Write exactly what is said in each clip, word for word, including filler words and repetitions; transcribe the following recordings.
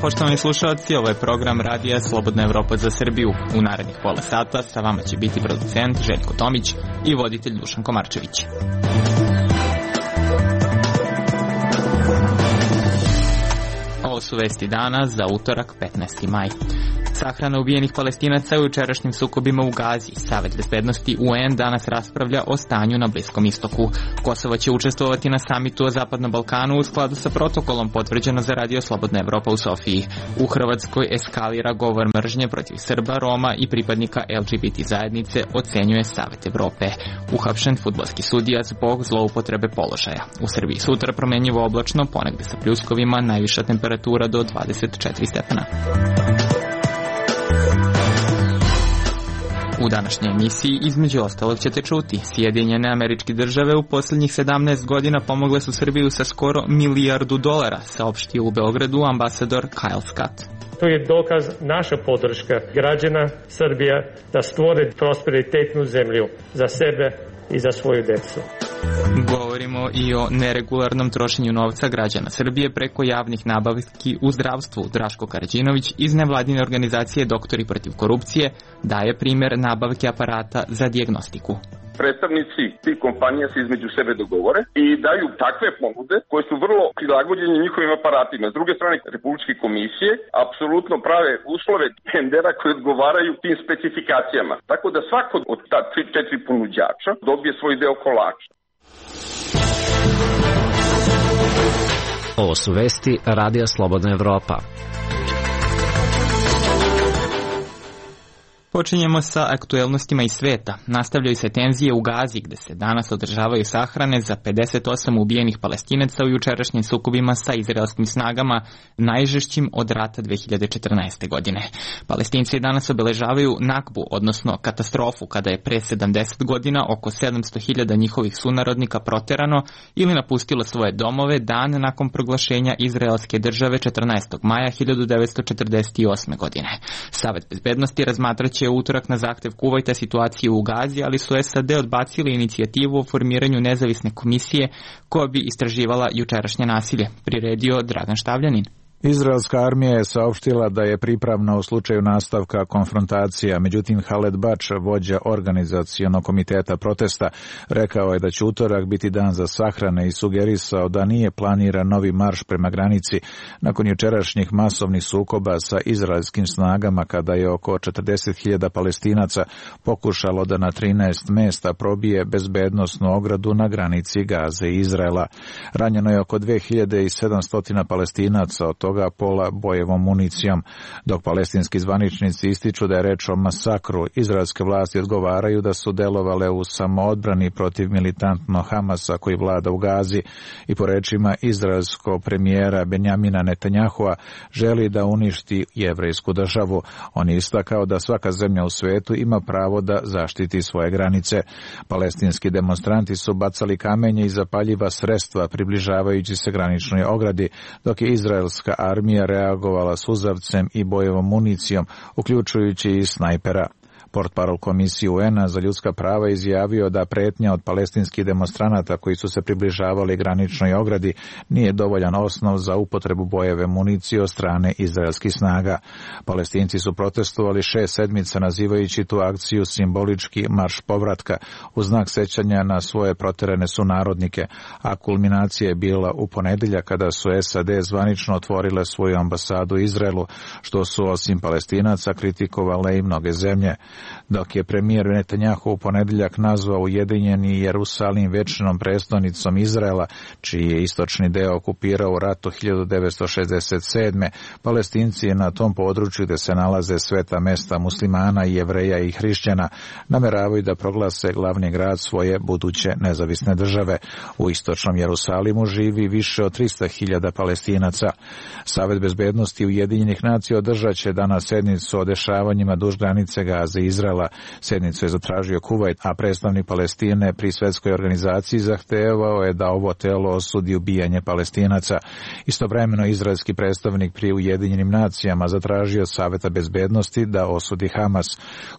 poštovani slušalci, ovo je program Radija Slobodna Evropa za Srbiju. U narednih pola sata sa vama će biti producent Željko Tomić i voditelj Dušan Komarčević. Ovo su vesti dana za utorak petnaesti maj. Sahrana ubijenih Palestinaca u jučerašnjim sukobima u Gazi. Savet bezbednosti U N danas raspravlja o stanju na Bliskom istoku. Kosovo će učestvovati na samitu o Zapadnom Balkanu u skladu sa protokolom potvrđeno za Radio Slobodna Evropa u Sofiji. U Hrvatskoj eskalira govor mržnje protiv Srba, Roma i pripadnika L G B T zajednice, ocenjuje Savet Evrope. Uhapšen fudbalski sudija zbog zloupotrebe položaja. U Srbiji sutra promenjivo oblačno, ponegde sa pljuskovima, najviša temperatura do dvadeset četiri stepena. U današnjoj emisiji između ostalog ćete čuti: Sjedinjene Američke Države u posljednjih sedamnaest godina pomogle su Srbiju sa skoro milijardu dolara, saopštio u Beogradu ambasador Kyle Scott. To je dokaz naša podrška građana Srbije da stvore prosperitetnu zemlju za sebe i za svoju decu. Govorimo i o neregularnom trošenju novca građana Srbije preko javnih nabavki u zdravstvu. Draško Karađinović iz nevladine organizacije Doktori protiv korupcije daje primjer nabavke aparata za dijagnostiku. Predstavnici tih kompanija se između sebe dogovore i daju takve ponude koje su vrlo prilagođene njihovim aparatima. S druge strane, republičke komisije apsolutno prave uslove tendera koji odgovaraju tim specifikacijama. Tako da svako od ta tri četiri ponuđača dobije svoj deo kolača. Ovo su vesti Radija Slobodna Evropa. Počinjemo sa aktuelnostima iz sveta. Nastavljaju se tenzije u Gazi, gde se danas održavaju sahrane za pedeset osam ubijenih Palestinaca u jučerašnjim sukobima sa izraelskim snagama, najžešćim od rata dve hiljade četrnaeste. godine. Palestinci danas obeležavaju Nakbu, odnosno katastrofu, kada je pre sedamdeset godina oko sedamsto hiljada njihovih sunarodnika proterano ili napustilo svoje domove dan nakon proglašenja izraelske države četrnaestog maja hiljadu devetsto četrdeset osme. godine. Savet bezbednosti razmatraće u utorak na zahtev Kuvajta situaciju u Gazi, ali su S A D odbacili inicijativu o formiranju nezavisne komisije koja bi istraživala jučerašnje nasilje, priredio Dragan Štavljanin. Izraelska armija je saopštila da je pripravna u slučaju nastavka konfrontacija, međutim Haled Bač, vođa organizacionog komiteta protesta, rekao je da će utorak biti dan za sahrane i sugerisao da nije planiran novi marš prema granici nakon jučerašnjih masovnih sukoba sa izraelskim snagama, kada je oko četrdeset hiljada Palestinaca pokušalo da na trinaest mesta probije bezbednosnu ogradu na granici Gaze i Izraela. Ranjeno je oko dve hiljade sedamsto Palestinaca, od toga pola bojevom municijom. Dok palestinski zvaničnici ističu da je reč o masakru, izraelske vlasti odgovaraju da su delovale u samoodbrani protiv militantno Hamasa koji vlada u Gazi i po rečima izraelskog premijera Benjamina Netanjahua želi da uništi jevrejsku državu. On je istakao da svaka zemlja u svetu ima pravo da zaštiti svoje granice. Palestinski demonstranti su bacali kamenje i zapaljiva sredstva približavajući se graničnoj ogradi, dok je izraelska armija reagovala suzavcem i bojevom municijom, uključujući i snajpera. Portparol Komisije U N-a za ljudska prava izjavio da pretnja od palestinskih demonstranata koji su se približavali graničnoj ogradi nije dovoljan osnov za upotrebu bojeve municije od strane izraelskih snaga. Palestinci su protestovali šest sedmica nazivajući tu akciju simbolički marš povratka u znak sećanja na svoje proterane sunarodnike, a kulminacija je bila u ponedeljak kada su S A D zvanično otvorile svoju ambasadu u Izraelu, što su osim Palestinaca kritikovale i mnoge zemlje. Dok je premijer Netanjahu u ponedeljak nazvao Ujedinjeni Jerusalim večnom prestonicom Izraela, čiji je istočni deo okupirao u ratu hiljadu devetsto šezdeset sedme. Palestinci na tom području gde se nalaze sveta mesta muslimana, jevreja i hrišćana nameravaju da proglase glavni grad svoje buduće nezavisne države. U istočnom Jerusalimu živi više od trista hiljada Palestinaca. Savet bezbednosti Ujedinjenih nacija održat će danas sednicu o dešavanjima duž granice Gaze i Izraela. Sednicu je zatražio Kuvajt, a predstavnik Palestine pri svetskoj organizaciji zahtevao je da ovo telo osudi ubijanje Palestinaca. Istovremeno izraelski predstavnik pri Ujedinjenim nacijama zatražio Saveta bezbednosti da osudi Hamas.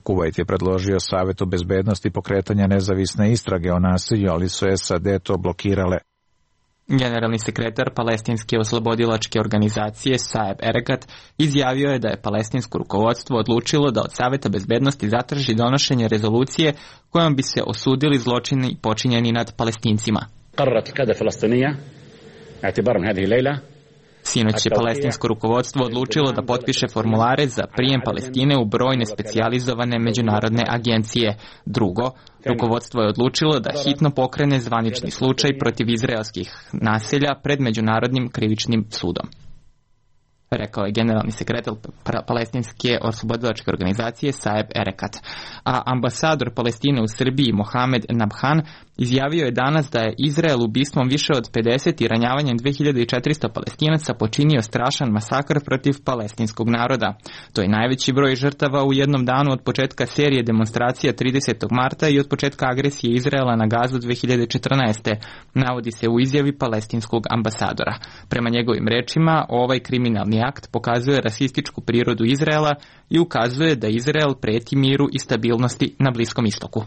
Kuvajt je predložio Savetu bezbednosti pokretanja nezavisne istrage o nasilju, ali su S A D to blokirale. Generalni sekretar palestinske oslobodilačke organizacije Saeb Erekat izjavio je da je palestinsko rukovodstvo odlučilo da od Saveta bezbednosti zatraži donošenje rezolucije kojom bi se osudili zločini počinjeni nad Palestincima. Sinoć je palestinsko rukovodstvo odlučilo da potpiše formulare za prijem Palestine u brojne specijalizovane međunarodne agencije. Drugo, rukovodstvo je odlučilo da hitno pokrene zvanični slučaj protiv izraelskih naselja pred Međunarodnim krivičnim sudom, rekao je generalni sekretar palestinske oslobodilačke organizacije Saeb Erekat. A ambasador Palestine u Srbiji Mohamed Nabhan izjavio je danas da je Izrael ubistvom više od pedeset i ranjavanjem dve hiljade četiristo Palestinaca počinio strašan masakr protiv palestinskog naroda. To je najveći broj žrtava u jednom danu od početka serije demonstracija tridesetog marta i od početka agresije Izraela na Gazu dve hiljade četrnaeste. Navodi se u izjavi palestinskog ambasadora. Prema njegovim rečima, ovaj kriminalni akt pokazuje rasističku prirodu Izraela i ukazuje da Izrael preti miru i stabilnosti na Bliskom istoku.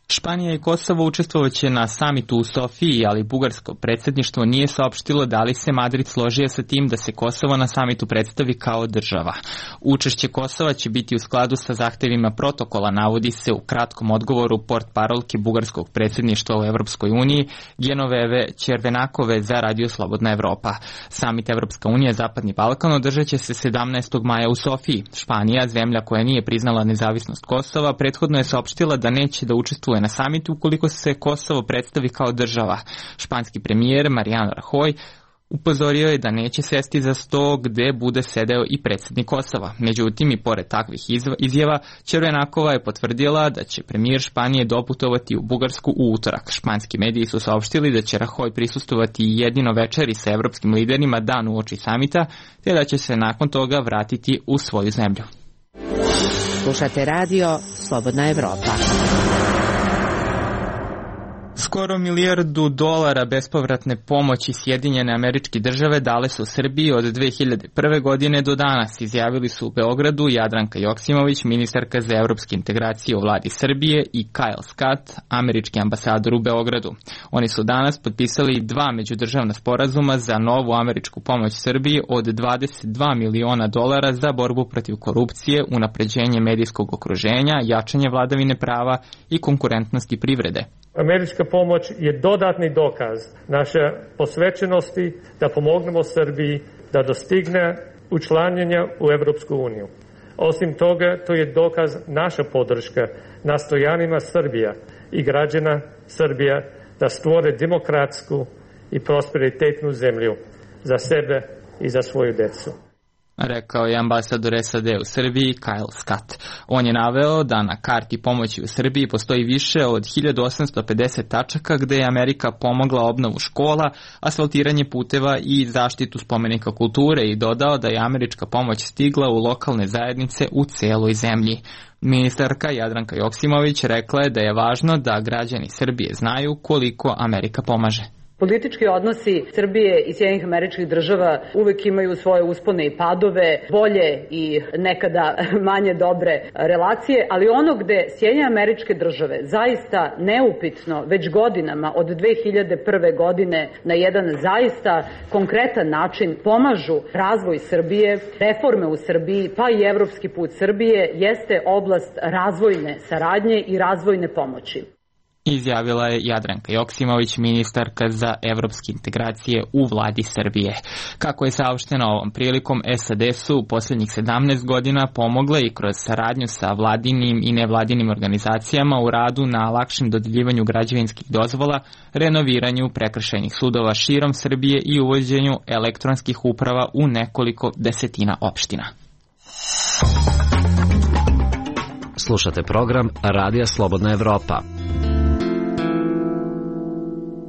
Španija i Kosovo učestvovaće na samitu u Sofiji, ali bugarsko predsjedništvo nije saopštilo da li se Madrid složio sa tim da se Kosovo na samitu predstavi kao država. Učešće Kosova će biti u skladu sa zahtevima protokola, navodi se u kratkom odgovoru portparolke bugarskog predsjedništva u Evropskoj uniji Genoveve Červenakove za Radio Slobodna Evropa. Samit Evropska unija Zapadni Balkan održat će se sedamnaestog maja u Sofiji. Španija, zemlja koja nije priznala nezavisnost Kosova, prethodno je saopštila da neće da učestvuje na samitu ukoliko se Kosovo predstavi kao država. Španski premijer Mariano Rajoy upozorio je da neće sesti za sto gde bude sedeo i predsjednik Kosova. Međutim, i pored takvih izjava, Červenakova je potvrdila da će premijer Španije doputovati u Bugarsku u utorak. Španski mediji su saopštili da će Rajoy prisustovati jedino večeri sa evropskim liderima dan uoči samita, te da će se nakon toga vratiti u svoju zemlju. Slušate radio Slobodna Evropa. Skoro milijardu dolara bespovratne pomoći Sjedinjene Američke Države dale su Srbiji od dve hiljade prve godine do danas, izjavili su u Beogradu Jadranka Joksimović, ministarka za evropske integracije u vladi Srbije, i Kyle Scott, američki ambasador u Beogradu. Oni su danas potpisali dva međudržavna sporazuma za novu američku pomoć Srbiji od dvadeset dva miliona dolara za borbu protiv korupcije, unapređenje medijskog okruženja, jačanje vladavine prava i konkurentnosti privrede. Američka pomoć je dodatni dokaz naše posvećenosti da pomognemo Srbiji da dostigne učlanjenje u Evropsku uniju. Osim toga, to je dokaz naša podrška nastojanjima Srbija i građana Srbija da stvore demokratsku i prosperitetnu zemlju za sebe i za svoju decu, rekao je ambasador S A D u Srbiji Kyle Scott. On je naveo da na karti pomoći u Srbiji postoji više od hiljadu osamsto pedeset tačaka gde je Amerika pomogla obnovu škola, asfaltiranje puteva i zaštitu spomenika kulture, i dodao da je američka pomoć stigla u lokalne zajednice u celoj zemlji. Ministarka Jadranka Joksimović rekla je da je važno da građani Srbije znaju koliko Amerika pomaže. Politički odnosi Srbije i Sjedinjenih Američkih Država uvek imaju svoje uspone i padove, bolje i nekada manje dobre relacije, ali ono gde Sjedinjene Američke Države zaista neupitno već godinama od dve hiljade prve godine na jedan zaista konkretan način pomažu razvoj Srbije, reforme u Srbiji, pa i evropski put Srbije, jeste oblast razvojne saradnje i razvojne pomoći, izjavila je Jadranka Joksimović, ministarka za evropske integracije u vladi Srbije. Kako je saopšteno ovom prilikom, S A D su u posljednjih sedamnaest godina pomogle i kroz saradnju sa vladinim i nevladinim organizacijama u radu na lakšem dodeljivanju građevinskih dozvola, renoviranju prekršajnih sudova širom Srbije i uvođenju elektronskih uprava u nekoliko desetina opština. Slušate program Radija Slobodna Evropa.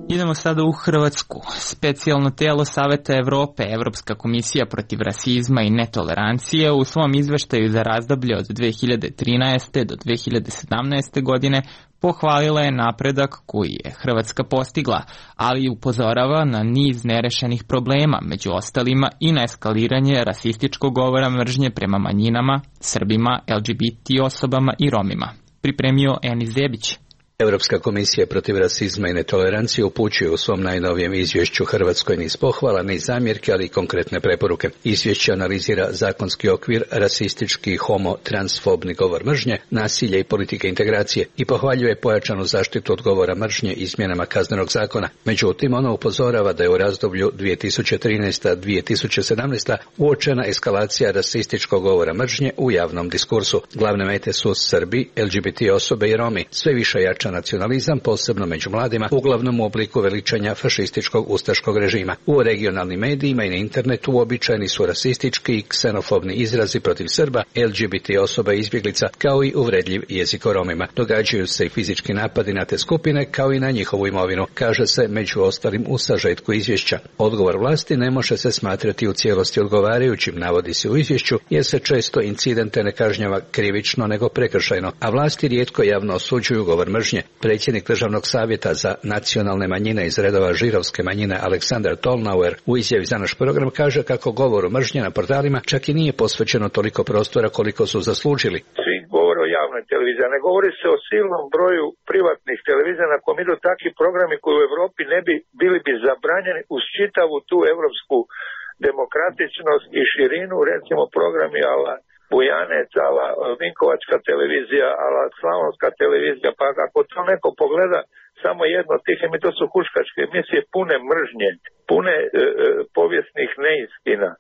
Idemo sada u Hrvatsku. Specijalno telo Saveta Evrope, Evropska komisija protiv rasizma i netolerancije, u svom izveštaju za razdoblje od dve hiljade trinaeste do dve hiljade sedamnaeste godine pohvalila je napredak koji je Hrvatska postigla, ali upozorava na niz nerešenih problema, među ostalima i na eskaliranje rasističkog govora mržnje prema manjinama, Srbima, L G B T osobama i Romima. Pripremio Enis Zebić. Europska komisija protiv rasizma i netolerancije upućuje u svom najnovijem izvješću Hrvatskoj niz pohvala, niz zamjerke, ali i konkretne preporuke. Izvješće analizira zakonski okvir, rasistički, homo, transfobni govor mržnje, nasilje i politike integracije i pohvaljuje pojačanu zaštitu od govora mržnje izmjenama kaznenog zakona. Međutim, ono upozorava da je u razdoblju dvije tisuće trinaesta do dvije tisuće sedamnaeste. uočena eskalacija rasističkog govora mržnje u javnom diskursu. Glavne mete su Srbi, L G B T osobe i Romi. Sve više jača nacionalizam, posebno među mladima, uglavnom u obliku veličanja fašističkog ustaškog režima. U regionalnim medijima i na internetu uobičajeni su rasistički i ksenofobni izrazi protiv Srba, L G B T osoba i izbjeglica, kao i uvredljiv jezik o Romima. Događaju se i fizički napadi na te skupine, kao i na njihovu imovinu, kaže se među ostalim u sažetku izvješća. Odgovor vlasti ne može se smatrati u cijelosti odgovarajućim, navodi se u izvješću, jer se često incidente ne kažnjava krivično nego prekršajno, a vlasti rijetko javno osuđuju govor mržnje. Predsjednik Državnog savjeta za nacionalne manjine iz redova židovske manjine Aleksandar Tolnauer u izjavi za naš program kaže kako govoru mržnje na portalima čak i nije posvećeno toliko prostora koliko su zaslužili. Svi govore o javnoj televiziji, ne govori se o silnom broju privatnih televizija na kom idu takvi programi koji u Europi ne bi bili bi zabranjeni uz čitavu tu evropsku demokratičnost i širinu, recimo programi ala Bujanec, ala Vinkovačka televizija, ala Slavonska televizija, pa ako to neko pogleda samo jedno od tih emisija, to su huškačke emisije pune mržnje, pune e, e, povijesnih neistina.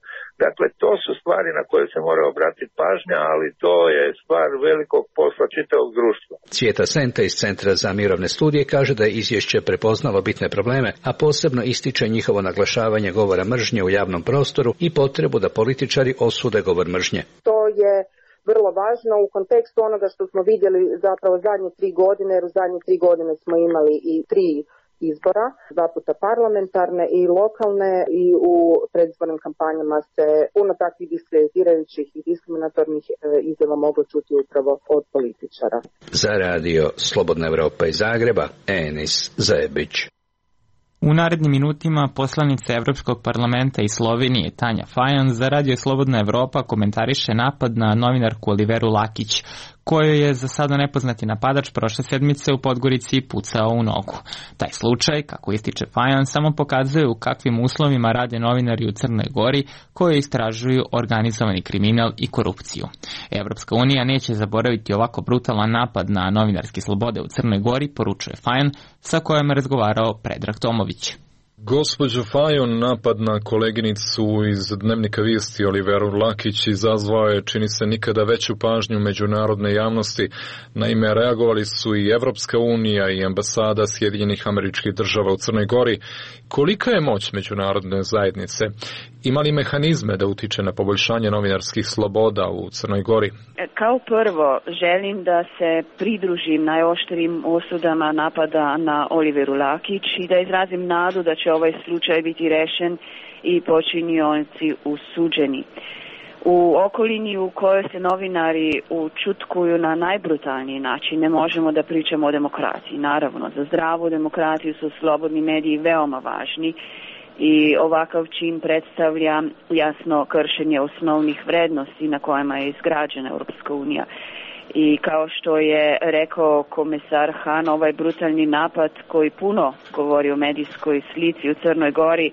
Dakle, to su stvari na koje se mora obratiti pažnja, ali to je stvar velikog posla čitavog društva. Cvijeta Senta iz Centra za mirovne studije kaže da je izvješće prepoznalo bitne probleme, a posebno ističe njihovo naglašavanje govora mržnje u javnom prostoru i potrebu da političari osude govor mržnje. To je vrlo važno u kontekstu onoga što smo vidjeli zapravo zadnje tri godine, jer u zadnje tri godine smo imali i tri izbora, dva puta parlamentarne i lokalne, i u predizbornim kampanjama se puno takvih diskreditirajućih i diskriminatornih izjava moglo čuti upravo od političara. Za radio Slobodna Evropa iz Zagreba, Enis Zebić. U narednim minutima poslanica Evropskog parlamenta iz Slovenije Tanja Fajon za radio Slobodna Evropa komentariše napad na novinarku Oliveru Lakić, kojoj je za sada nepoznati napadač prošle sedmice u Podgorici pucao u nogu. Taj slučaj, kako ističe Fajon, samo pokazuje u kakvim uslovima rade novinari u Crnoj Gori koji istražuju organizovani kriminal i korupciju. Evropska unija neće zaboraviti ovako brutalan napad na novinarske slobode u Crnoj Gori, poručuje Fajon, sa kojom je razgovarao Predrag Tomović. Gospođo Fajon, napad na koleginicu iz Dnevnika Vijesti Oliveru Lakić izazvao je, čini se, nikada veću pažnju međunarodne javnosti. Naime, reagovali su i Evropska unija i ambasada Sjedinjenih Američkih Država u Crnoj Gori. Kolika je moć međunarodne zajednice? Ima li mehanizme da utiče na poboljšanje novinarskih sloboda u Crnoj Gori? Kao prvo, želim da se pridružim najoštrijim osudama napada na Oliveru Lakić i da izrazim nadu da će ovaj slučaj biti rešen i počinioci usuđeni. U okolini u kojoj se novinari učutkuju na najbrutalniji način ne možemo da pričamo o demokratiji. Naravno, za zdravu demokratiju su slobodni mediji veoma važni i ovakav čin predstavlja jasno kršenje osnovnih vrednosti na kojima je izgrađena Europska unija. I kao što je rekao komesar Han, ovaj brutalni napad koji puno govori o medijskoj slici u Crnoj Gori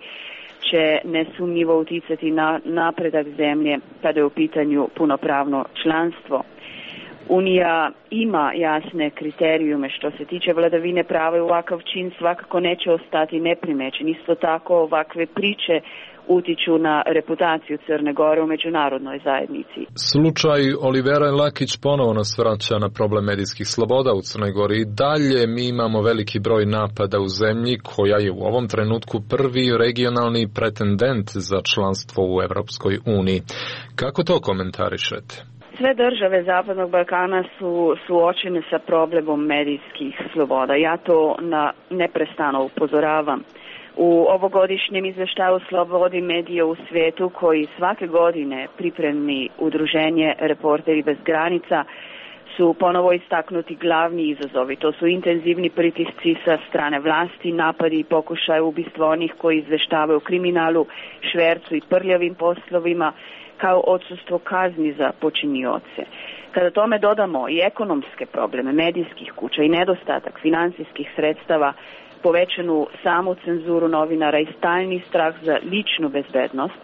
će nesumnjivo uticati na napredak zemlje kada je u pitanju punopravno članstvo. Unija ima jasne kriterijume što se tiče vladavine prava i ovakav čin svakako neće ostati neprimećen. Isto tako ovakve priče utiču na reputaciju Crne Gore u međunarodnoj zajednici. Slučaj Olivera Lakić ponovo nas vraća na problem medijskih sloboda u Crnoj Gori. I dalje mi imamo veliki broj napada u zemlji koja je u ovom trenutku prvi regionalni pretendent za članstvo u Evropskoj uniji. Kako to komentarišete? Sve države Zapadnog Balkana su suočene sa problemom medijskih sloboda. Ja to na neprestano upozoravam. U ovogodišnjem izveštaju slobodi medija u svijetu koji svake godine pripremi udruženje Reporteri bez granica su ponovo istaknuti glavni izazovi. To su intenzivni pritisci sa strane vlasti, napadi i pokušaj ubistva onih koji izveštavaju o kriminalu, švercu i prljavim poslovima, kao odsustvo kazni za počinioce. Kada tome dodamo i ekonomske probleme medijskih kuća i nedostatak finansijskih sredstava, povećanu samu cenzuru novinara i stalni strah za ličnu bezbednost,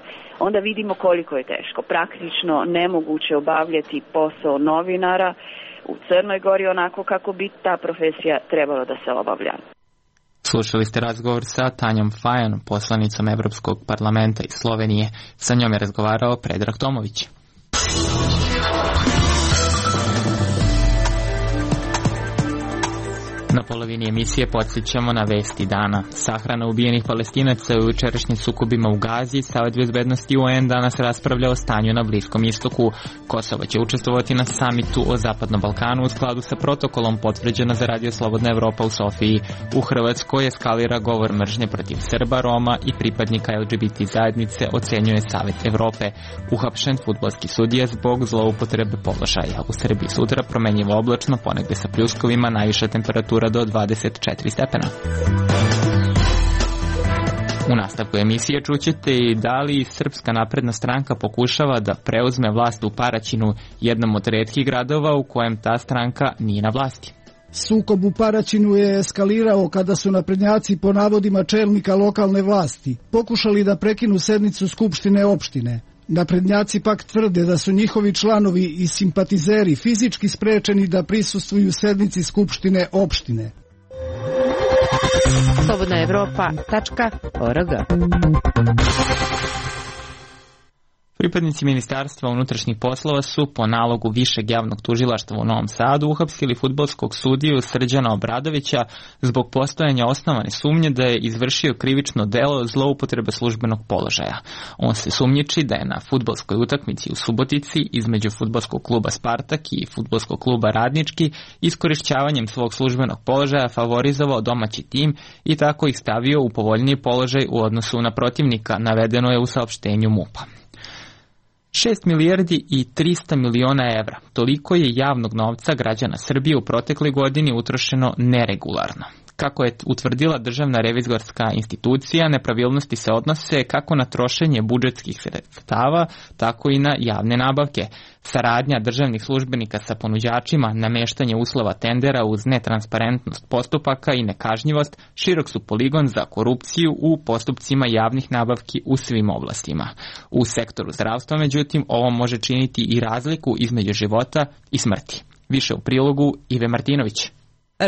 onda vidimo koliko je teško, praktično nemoguće obavljati posao novinara u Crnoj Gori onako kako bi ta profesija trebala da se obavlja. Slušali ste razgovor sa Tanjom Fajon, poslanicom Evropskog parlamenta iz Slovenije. Sa njom je razgovarao Predrag Tomović. Na polovini emisije podsjećamo na vesti dana. Sahrana ubijenih Palestinaca u jučerašnjim sukobima u Gazi. Savet bezbednosti U N danas raspravlja o stanju na Bliskom istoku. Kosovo će učestvovati na samitu o Zapadnom Balkanu u skladu sa protokolom potvrđena za Radio Slobodna Evropa u Sofiji. U Hrvatskoj eskalira govor mržnje protiv Srba, Roma i pripadnika L G B T zajednice, ocenjuje Savet Evrope. Uhapšen fudbalski sudija zbog zloupotrebe položaja. U Srbiji sutra promenjivo oblačno, ponegde sa pljuskovima, najviša temperatura do dvadeset četiri stepena. U nastavku emisije čućete i da li Srpska napredna stranka pokušava da preuzme vlast u Paraćinu, jednom od retkih gradova u kojem ta stranka nije na vlasti. Sukob u Paraćinu je eskalirao kada su naprednjaci po navodima čelnika lokalne vlasti pokušali da prekinu sednicu Skupštine opštine. Naprednjaci pak tvrde da su njihovi članovi i simpatizeri fizički sprečeni da prisustvuju sednici Skupštine opštine. slobodna evropa tačka org. Pripadnici Ministarstva unutrašnjih poslova su po nalogu Višeg javnog tužilaštva u Novom Sadu uhapsili fudbalskog sudiju Srđana Obradovića zbog postojanja osnovane sumnje da je izvršio krivično delo zloupotrebe službenog položaja. On se sumnjiči da je na fudbalskoj utakmici u Subotici između fudbalskog kluba Spartak i fudbalskog kluba Radnički iskorišćavanjem svog službenog položaja favorizovao domaći tim i tako ih stavio u povoljniji položaj u odnosu na protivnika, navedeno je u saopštenju MUP-a. šest milijardi i trista miliona evra. Toliko je javnog novca građana Srbije u protekloj godini utrošeno neregularno. Kako je utvrdila Državna revizorska institucija, nepravilnosti se odnose kako na trošenje budžetskih sredstava, tako i na javne nabavke. Saradnja državnih službenika sa ponuđačima, nameštanje uslova tendera uz netransparentnost postupaka i nekažnjivost širok su poligon za korupciju u postupcima javnih nabavki u svim oblastima. U sektoru zdravstva, međutim, ovo može činiti i razliku između života i smrti. Više u prilogu Ive Martinović.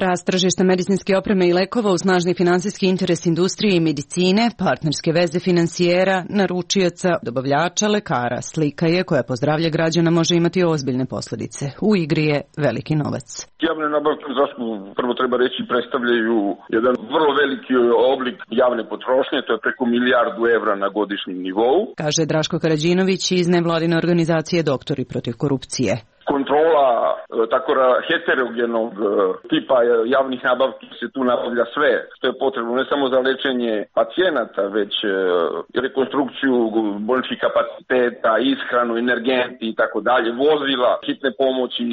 Rast tržišta medicinske opreme i lekova uz snažni finansijski interes industrije i medicine, partnerske veze finansijera, naručioca, dobavljača, lekara, slika je koja po zdravlje građana može imati ozbiljne posljedice. U igri je veliki novac. Javne nabavke u zdravstvu, prvo treba reći, predstavljaju jedan vrlo veliki oblik javne potrošnje, to je preko milijardu evra na godišnjem nivou. Kaže Draško Karađinović iz nevladine organizacije Doktori protiv korupcije. Kontrola tako heterogenog tipa javnih nabavki se tu nabavlja sve što je potrebno, ne samo za lečenje pacijenata, već rekonstrukciju bolničkih kapaciteta, ishranu, energenti i tako dalje, vozila, hitne pomoći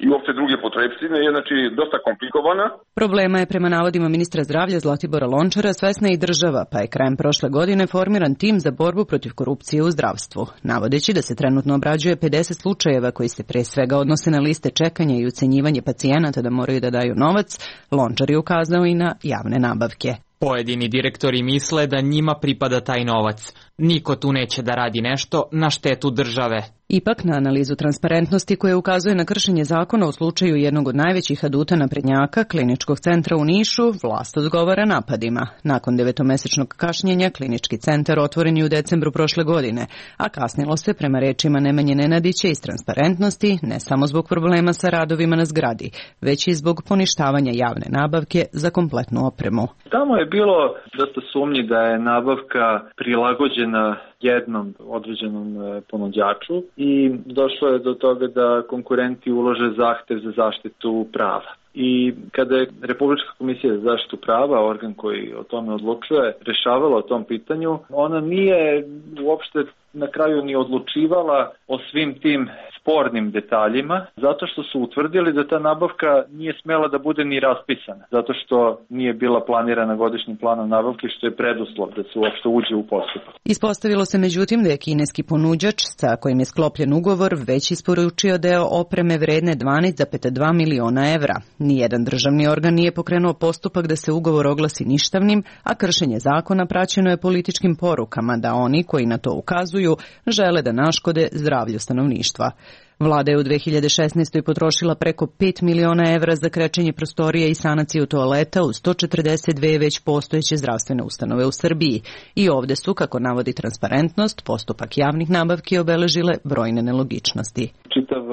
i uopšte druge potrebštine je znači dosta komplikovana. Problema je prema navodima ministra zdravlja Zlatibora Lončara svesna i država, pa je krajem prošle godine formiran tim za borbu protiv korupcije u zdravstvu, navodeći da se trenutno obrađuje pedeset slučajeva koji se pre svega odnose na liste čekanja i ucenjivanje pacijenata da moraju da daju novac. Lončar je ukazao i na javne nabavke. Pojedini direktori misle da njima pripada taj novac. Niko tu neće da radi nešto na štetu države. Ipak na analizu transparentnosti koja ukazuje na kršenje zakona u slučaju jednog od najvećih aduta naprednjaka, kliničkog centra u Nišu, vlast odgovara napadima. Nakon devetomesečnog kašnjenja, klinički centar otvoren je u decembru prošle godine, a kasnilo se prema rečima Nemanje Nenadića iz transparentnosti ne samo zbog problema sa radovima na zgradi, već i zbog poništavanja javne nabavke za kompletnu opremu. Tamo je bilo dosta sumnji da je nabavka prilagođena jednom određenom ponuđaču i došlo je do toga da konkurenti ulože zahtev za zaštitu prava. I kada je Republička komisija za zaštitu prava, organ koji o tome odlučuje, rešavala o tom pitanju, ona nije uopšte na kraju ni odlučivala o svim tim spornim detaljima, zato što su utvrdili da ta nabavka nije smela da bude ni raspisana, zato što nije bila planirana godišnjim planom nabavke, što je preduslov da se uopšte uđe u postupak. Ispostavilo se međutim da je kineski ponuđač sa kojim je sklopljen ugovor već isporučio deo opreme vredne dvanaest zarez dva miliona evra. Nijedan državni organ nije pokrenuo postupak da se ugovor oglasi ništavnim, a kršenje zakona praćeno je političkim porukama da oni koji na to ukazuju žele da naškode zdravlju stanovništva. Vlada je u dve hiljade šesnaestoj potrošila preko pet miliona evra za krečenje prostorija i sanaciju toaleta u sto četrdeset dve već postojeće zdravstvene ustanove u Srbiji. I ovde su, kako navodi Transparentnost, postupak javnih nabavki obeležile brojne nelogičnosti. Čitav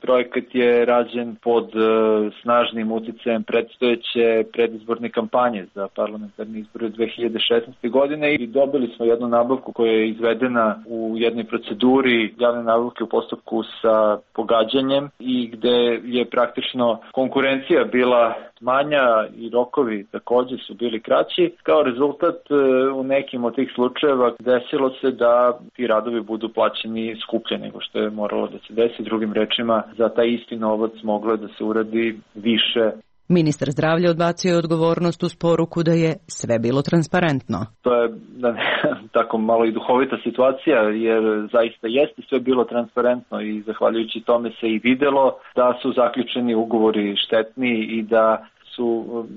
projekat je rađen pod snažnim uticajem predstojeće predizborne kampanje za parlamentarne izbore dve hiljade šesnaeste. godine i dobili smo jednu nabavku koja je izvedena u jednoj proceduri javne nabavke u postupku sa pogađanjem i gde je praktično konkurencija bila manja i rokovi takođe su bili kraći. Kao rezultat u nekim od tih slučajeva desilo se da ti radovi budu plaćeni skuplje nego što je moralo da se desi. Drugim rečima, za taj isti novac moglo je da se uradi više. Ministar zdravlja odbacio je odgovornost uz poruku da je sve bilo transparentno. To je da ne, tako malo i duhovita situacija, jer zaista jeste sve bilo transparentno i zahvaljujući tome se i videlo da su zaključeni ugovori štetni i da su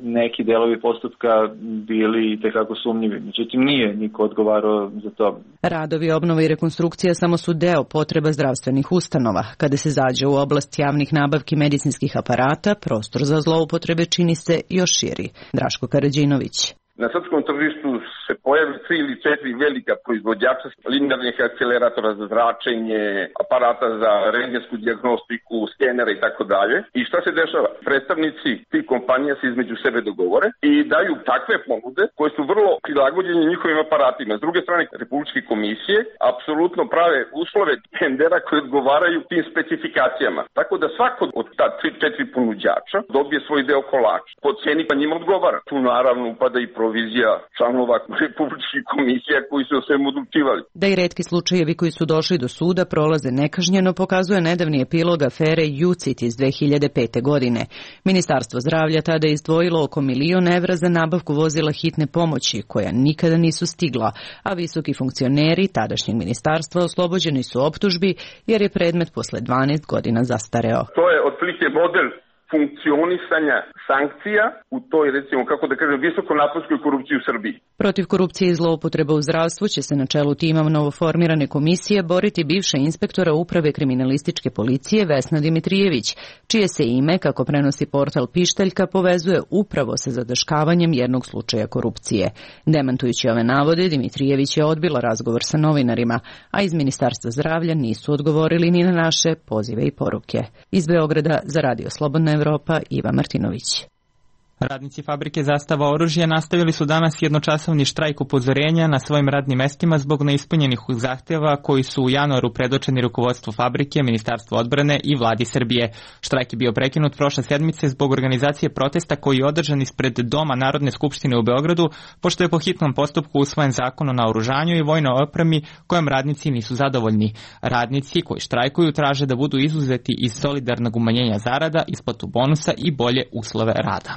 neki delovi postupka bili tekako sumnjivi. Međutim, nije niko odgovarao za to. Radovi, obnova i rekonstrukcija samo su deo potreba zdravstvenih ustanova. Kada se zađe u oblast javnih nabavki medicinskih aparata, prostor za zloupotrebe čini se još širi. Draško Karađinović. Na srpskom tržištu se pojavi tri ili četiri velika proizvođača linearnih akceleratora za zračenje, aparata za rentgensku dijagnostiku, skenera i tako dalje. I šta se dešava? Predstavnici tih kompanija se između sebe dogovore i daju takve ponude koje su vrlo prilagođene njihovim aparatima. S druge strane, republičke komisije apsolutno prave uslove tendera koji odgovaraju tim specifikacijama. Tako da svako od ta tri četiri ponuđača dobije svoj deo kolača. Po ceni pa njima odgovara. Tu naravno upada i provizija članova republičkih komisija koji su o svemu odlučivali. Da i retki slučajevi koji su došli do suda prolaze nekažnjeno pokazuje nedavni epilog afere Jucit iz dve hiljade pete. godine. Ministarstvo zdravlja tada je izdvojilo oko milion evra za nabavku vozila hitne pomoći, koja nikada nisu stigla, a visoki funkcioneri tadašnjeg ministarstva oslobođeni su optužbi jer je predmet posle dvanaest godina zastareo. To je otprilike model funkcionisanja sankcija u toj, recimo, kako da kažem, visokonaponskoj korupciji u Srbiji. Protiv korupcije i zloupotreba u zdravstvu će se na čelu tima novoformirane komisije boriti bivša inspektora Uprave kriminalističke policije Vesna Dimitrijević, čije se ime, kako prenosi portal Pištaljka, povezuje upravo sa zataškavanjem jednog slučaja korupcije. Demantujući ove navode, Dimitrijević je odbila razgovor sa novinarima, a iz Ministarstva zdravlja nisu odgovorili ni na naše pozive i poruke. Iz Beograda za Radio Slobodna Evropa, Iva Martinović. Radnici fabrike Zastava oružja nastavili su danas jednočasovni štrajk upozorenja na svojim radnim mestima zbog neispunjenih zahteva koji su u januaru predočeni rukovodstvu fabrike, Ministarstvu odbrane i vladi Srbije. Štrajk je bio prekinut prošle sedmice zbog organizacije protesta koji je održan ispred Doma Narodne skupštine u Beogradu, pošto je po hitnom postupku usvojen zakon o naoružanju i vojnoj opremi kojem radnici nisu zadovoljni. Radnici koji štrajkuju traže da budu izuzeti iz solidarnog umanjenja zarada, isplatu bonusa i bolje uslove rada.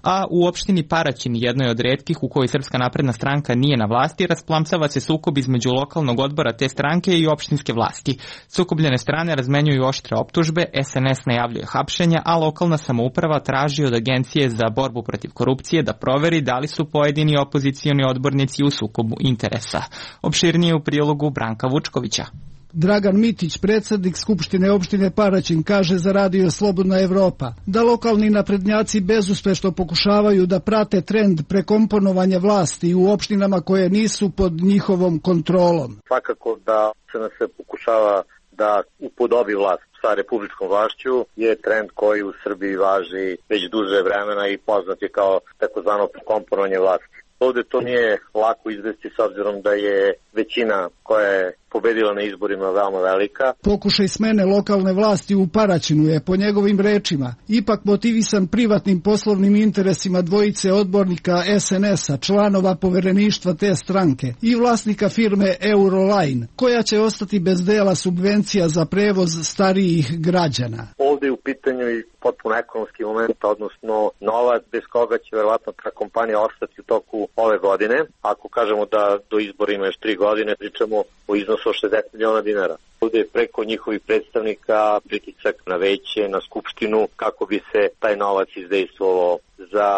A u opštini Paraćin, jednoj od retkih u kojoj Srpska napredna stranka nije na vlasti, rasplamsava se sukob između lokalnog odbora te stranke i opštinske vlasti. Sukobljene strane razmenjuju oštre optužbe, S N S najavljuje hapšenja, a lokalna samouprava traži od Agencije za borbu protiv korupcije da proveri da li su pojedini opozicioni odbornici u sukobu interesa. Opširnije u prilogu Branka Vučkovića. Dragan Mitić, predsjednik Skupštine opštine Paraćin, kaže za Radio Slobodna Evropa da lokalni naprednjaci bezuspešno pokušavaju da prate trend prekomponovanja vlasti u opštinama koje nisu pod njihovom kontrolom. Svakako da se nas se pokušava da upodobi vlast sa republičkom vlašću je trend koji u Srbiji važi već duže vremena i poznat je kao takozvano prekomponovanje vlasti. Ovde to nije lako izvesti s obzirom da je većina koja je pobedila na izborima veoma velika. Pokušaj smene lokalne vlasti u Paraćinu je, po njegovim rečima, ipak motivisan privatnim poslovnim interesima dvojice odbornika es en es-a, članova povereništva te stranke i vlasnika firme Euroline, koja će ostati bez dela subvencija za prevoz starijih građana. Ovdje je u pitanju i potpuno ekonomski moment, odnosno novac bez koga će verovatno ta kompanija ostati u toku ove godine. Ako kažemo da do izbora ima još tri godine, pričamo o iznosu od šezdeset miliona dinara. Ovdje je preko njihovih predstavnika pritisak na veće, na skupštinu, kako bi se taj novac izdejstvovao za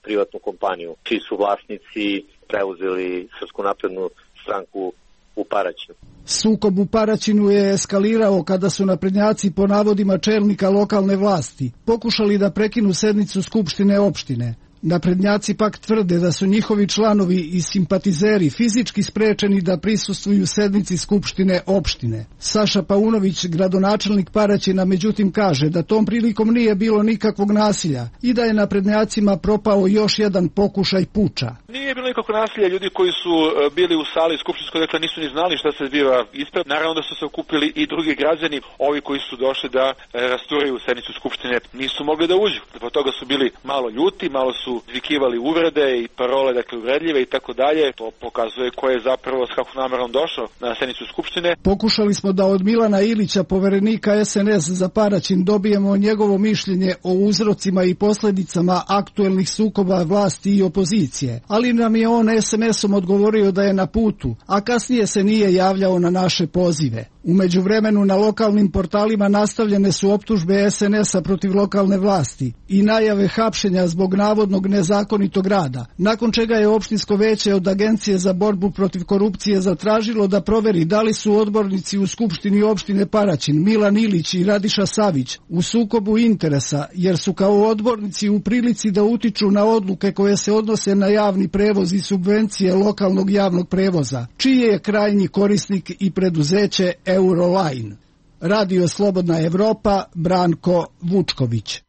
privatnu kompaniju, čiji su vlasnici preuzeli Srpsku naprednu stranku u Paraćinu. Sukob u Paraćinu je eskalirao kada su naprednjaci, po navodima čelnika lokalne vlasti, pokušali da prekinu sednicu Skupštine opštine. Naprednjaci pak tvrde da su njihovi članovi i simpatizeri fizički sprečeni da prisustvuju sednici Skupštine opštine. Saša Paunović, gradonačelnik Paraćina, međutim kaže da tom prilikom nije bilo nikakvog nasilja i da je naprednjacima propao još jedan pokušaj puča. Nije bilo nikakvog nasilja, ljudi koji su bili u sali skupštinskoj, dakle nisu ni znali šta se zbiva ispred. Naravno da su se okupili i drugi građani, ovi koji su došli da rasturaju sednicu skupštine, nisu mogli da uđu. Zbog toga su bili malo ljuti, malo su zvikivali uvrede i parole, dakle uvredljive i tako dalje. To pokazuje ko je zapravo s kakvom namerom došao na sednicu skupštine. Pokušali smo da od Milana Ilića, poverenika es en es za Paraćin, dobijemo njegovo mišljenje o uzrocima i posledicama aktuelnih sukoba vlasti i opozicije, ali nam je on es em esom odgovorio da je na putu, a kasnije se nije javljao na naše pozive. U međuvremenu na lokalnim portalima nastavljene su optužbe es en es-a protiv lokalne vlasti i najave hapšenja zbog navodnog nezakonitog rada, nakon čega je opštinsko veće od Agencije za borbu protiv korupcije zatražilo da proveri da li su odbornici u Skupštini opštine Paraćin, Milan Ilić i Radiša Savić, u sukobu interesa, jer su kao odbornici u prilici da utiču na odluke koje se odnose na javni prevoz i subvencije lokalnog javnog prevoza, čiji je krajnji korisnik i preduzeće Euroline. Radio Slobodna Evropa, Branko Vučković.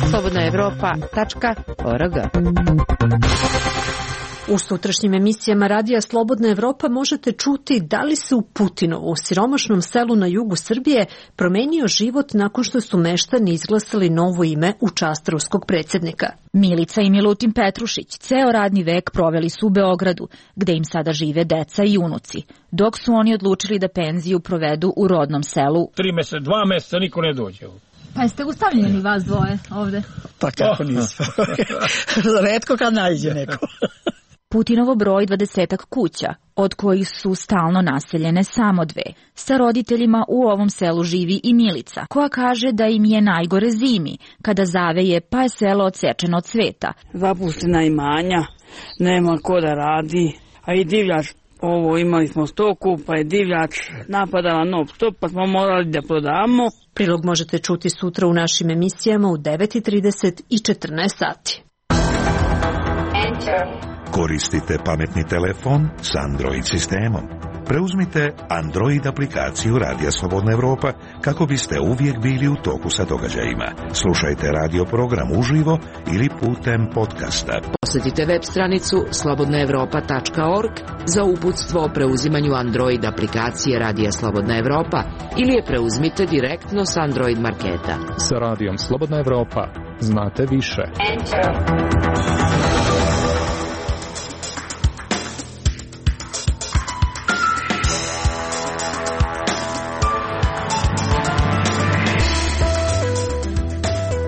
slobodna evropa tačka org. U sutrašnjim emisijama Radija Slobodna Evropa možete čuti da li se u Putinovu, siromašnom selu na jugu Srbije, promenio život nakon što su meštani izglasali novo ime u čast ruskog predsjednika. Milica i Milutin Petrušić ceo radni vek proveli su u Beogradu, gde im sada žive deca i unuci, dok su oni odlučili da penziju provedu u rodnom selu. Tri meseca, dva meseca niko ne dođe. Pa jeste ustavljeni vas dvoje ovde? Pa kako nismo. Retko kad nađe neko. Putinovo broj dvadesetak kuća, od kojih su stalno naseljene samo dve. Sa roditeljima u ovom selu živi i Milica, koja kaže da im je najgore zimi, kada zaveje pa je selo odsečeno od sveta. Zapuštena imanja, nema ko da radi, a i divljač, ovo imali smo stoku, pa je divljač napadala non stop, pa smo morali da prodamo. Prilog možete čuti sutra u našim emisijama u devet i trideset i četrnaest sati. Enter. Koristite pametni telefon s Android sistemom. Preuzmite Android aplikaciju Radija Slobodna Evropa kako biste uvijek bili u toku sa događajima. Slušajte radio program uživo ili putem podcasta. Posjetite web stranicu slobodna evropa tačka org za uputstvo o preuzimanju Android aplikacije Radija Slobodna Evropa ili je preuzmite direktno s Android marketa. Sa Radijom Slobodna Evropa znate više. Enter.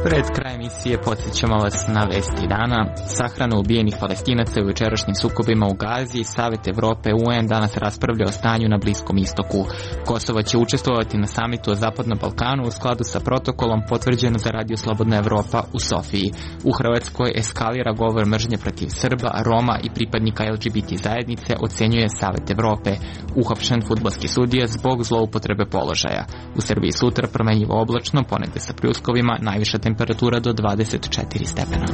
Pred kraj emisije podsjećamo vas na vesti dana. Sahrana ubijenih Palestinaca u jučerašnjim sukobima u Gazi. Savet Evrope u en danas raspravlja o stanju na Bliskom istoku. Kosovo će učestvovati na samitu o Zapadnom Balkanu u skladu sa protokolom potvrđeno za Radio Slobodna Evropa u Sofiji. U Hrvatskoj eskalira govor mržnje protiv Srba, Roma i pripadnika el ge be te zajednice, ocenjuje Savet Evrope. Uhapšen fudbalski sudija zbog zloupotrebe položaja. U Srbiji sutra promenjivo oblačno, ponegde sa pljuskovima, najviša temperatura do dvadeset četiri stepena.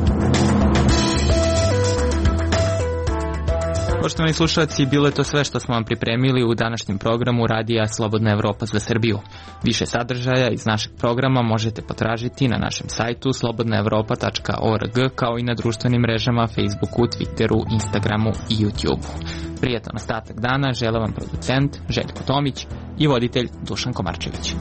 Poštovani slušalci, bilo je to sve što smo vam pripremili u današnjem programu Radija Slobodna Evropa za Srbiju. Više sadržaja iz našeg programa možete potražiti na našem sajtu slobodna evropa tačka org, kao i na društvenim mrežama Facebooku, Twitteru, Instagramu i YouTubeu. Prijetan ostatak dana žele vam producent Željko Tomić i voditelj Dušan Komarčević.